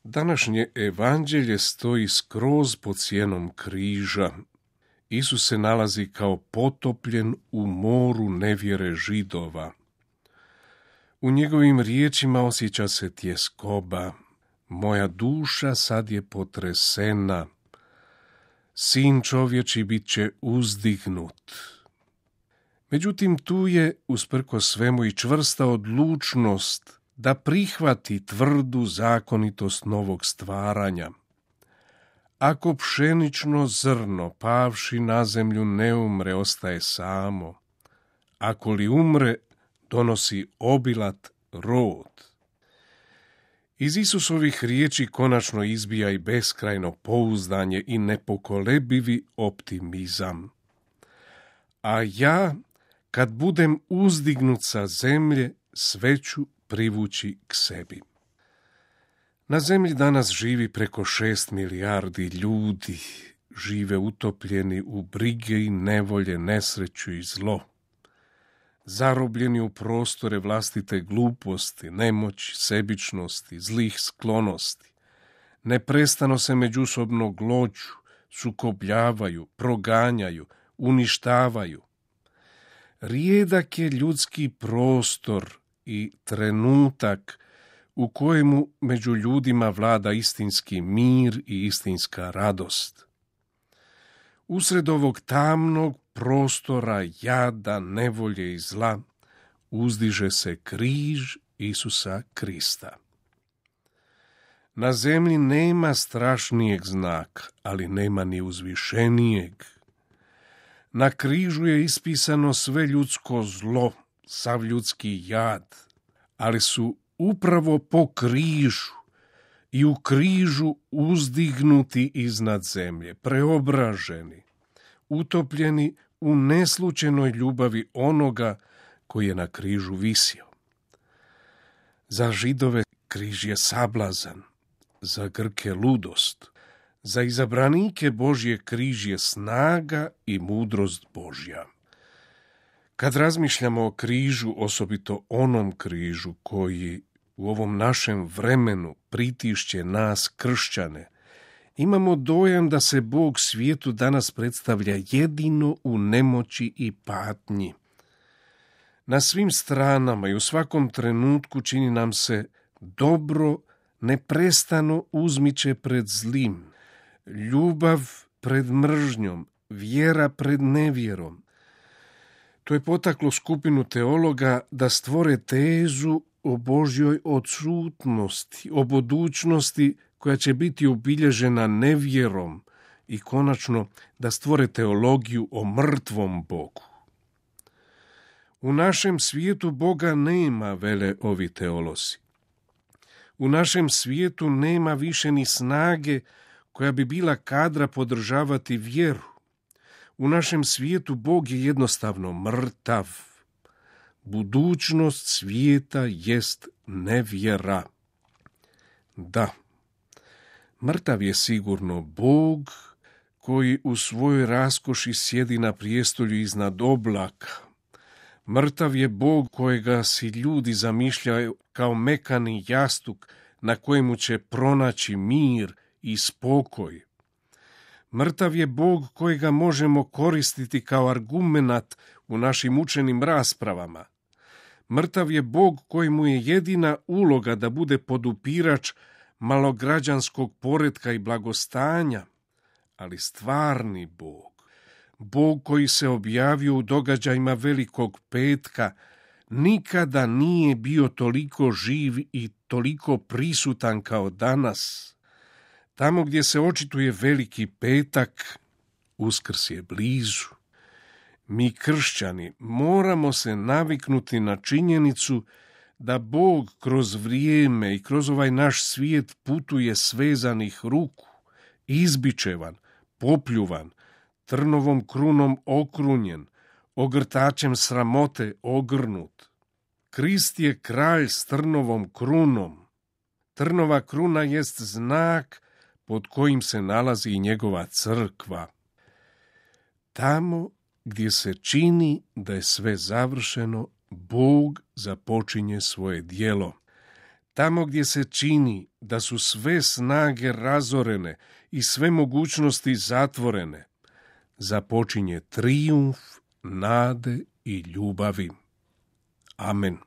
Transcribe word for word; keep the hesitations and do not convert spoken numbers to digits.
Današnje evanđelje stoji skroz pod sjenom križa. Isus se nalazi kao potopljen u moru nevjere Židova. U njegovim riječima osjeća se tjeskoba. Moja duša sad je potresena. Sin čovječi bit će uzdignut. Međutim, tu je, usprkos svemu, i čvrsta odlučnost da prihvati tvrdu zakonitost novog stvaranja. Ako pšenično zrno, pavši na zemlju, ne umre, ostaje samo. Ako li umre, donosi obilat rod. Iz Isusovih riječi konačno izbija i beskrajno pouzdanje i nepokolebivi optimizam. A ja, kad budem uzdignut sa zemlje, sve ću privući k sebi. Na zemlji danas živi preko šest milijardi ljudi, žive utopljeni u brige i nevolje, nesreću i zlo. Zarobljeni u prostore vlastite gluposti, nemoći, sebičnosti, zlih sklonosti. Neprestano se međusobno glođu, sukobljavaju, proganjaju, uništavaju. Rijedak je ljudski prostor i trenutak u kojemu među ljudima vlada istinski mir i istinska radost. Usred ovog tamnog prostora jada, nevolje i zla uzdiže se križ Isusa Krista. Na zemlji nema strašnijeg znaka, ali nema ni uzvišenijeg. Na križu je ispisano sve ljudsko zlo, sav ljudski jad, ali su upravo po križu i u križu uzdignuti iznad zemlje, preobraženi, utopljeni u neslučenoj ljubavi onoga koji je na križu visio. Za Židove križ je sablazan, za Grke ludost, za izabranike Božje križ je snaga i mudrost Božja. Kad razmišljamo o križu, osobito onom križu koji u ovom našem vremenu pritišće nas kršćane, imamo dojam da se Bog svijetu danas predstavlja jedino u nemoći i patnji. Na svim stranama i u svakom trenutku čini nam se dobro neprestano uzmiče pred zlim, ljubav pred mržnjom, vjera pred nevjerom. To je potaklo skupinu teologa da stvore tezu o Božjoj odsutnosti, o budućnosti koja će biti obilježena nevjerom i konačno da stvore teologiju o mrtvom Bogu. U našem svijetu Boga nema, vele ovi teolozi. U našem svijetu nema više ni snage koja bi bila kadra podržavati vjeru. U našem svijetu Bog je jednostavno mrtav. Budućnost svijeta jest nevjera. Da, mrtav je sigurno Bog koji u svojoj raskoši sjedi na prijestolju iznad oblaka. Mrtav je Bog kojega si ljudi zamišljaju kao mekani jastuk na kojemu će pronaći mir i spokoj. Mrtav je Bog kojega možemo koristiti kao argumenat u našim učenim raspravama. Mrtav je Bog kojemu je jedina uloga da bude podupirač malograđanskog poretka i blagostanja, ali stvarni Bog, Bog koji se objavio u događajima Velikog petka, nikada nije bio toliko živ i toliko prisutan kao danas. Tamo gdje se očituje Veliki petak, Uskrs je blizu. Mi kršćani moramo se naviknuti na činjenicu da Bog kroz vrijeme i kroz ovaj naš svijet putuje svezanih ruku, izbičevan, popljuvan, trnovom krunom okrunjen, ogrtačem sramote ogrnut. Krist je kralj s trnovom krunom. Trnova kruna jest znak pod kojim se nalazi i njegova crkva. Tamo gdje se čini da je sve završeno, Bog započinje svoje djelo. Tamo gdje se čini da su sve snage razorene i sve mogućnosti zatvorene, započinje trijumf nade i ljubavi. Amen.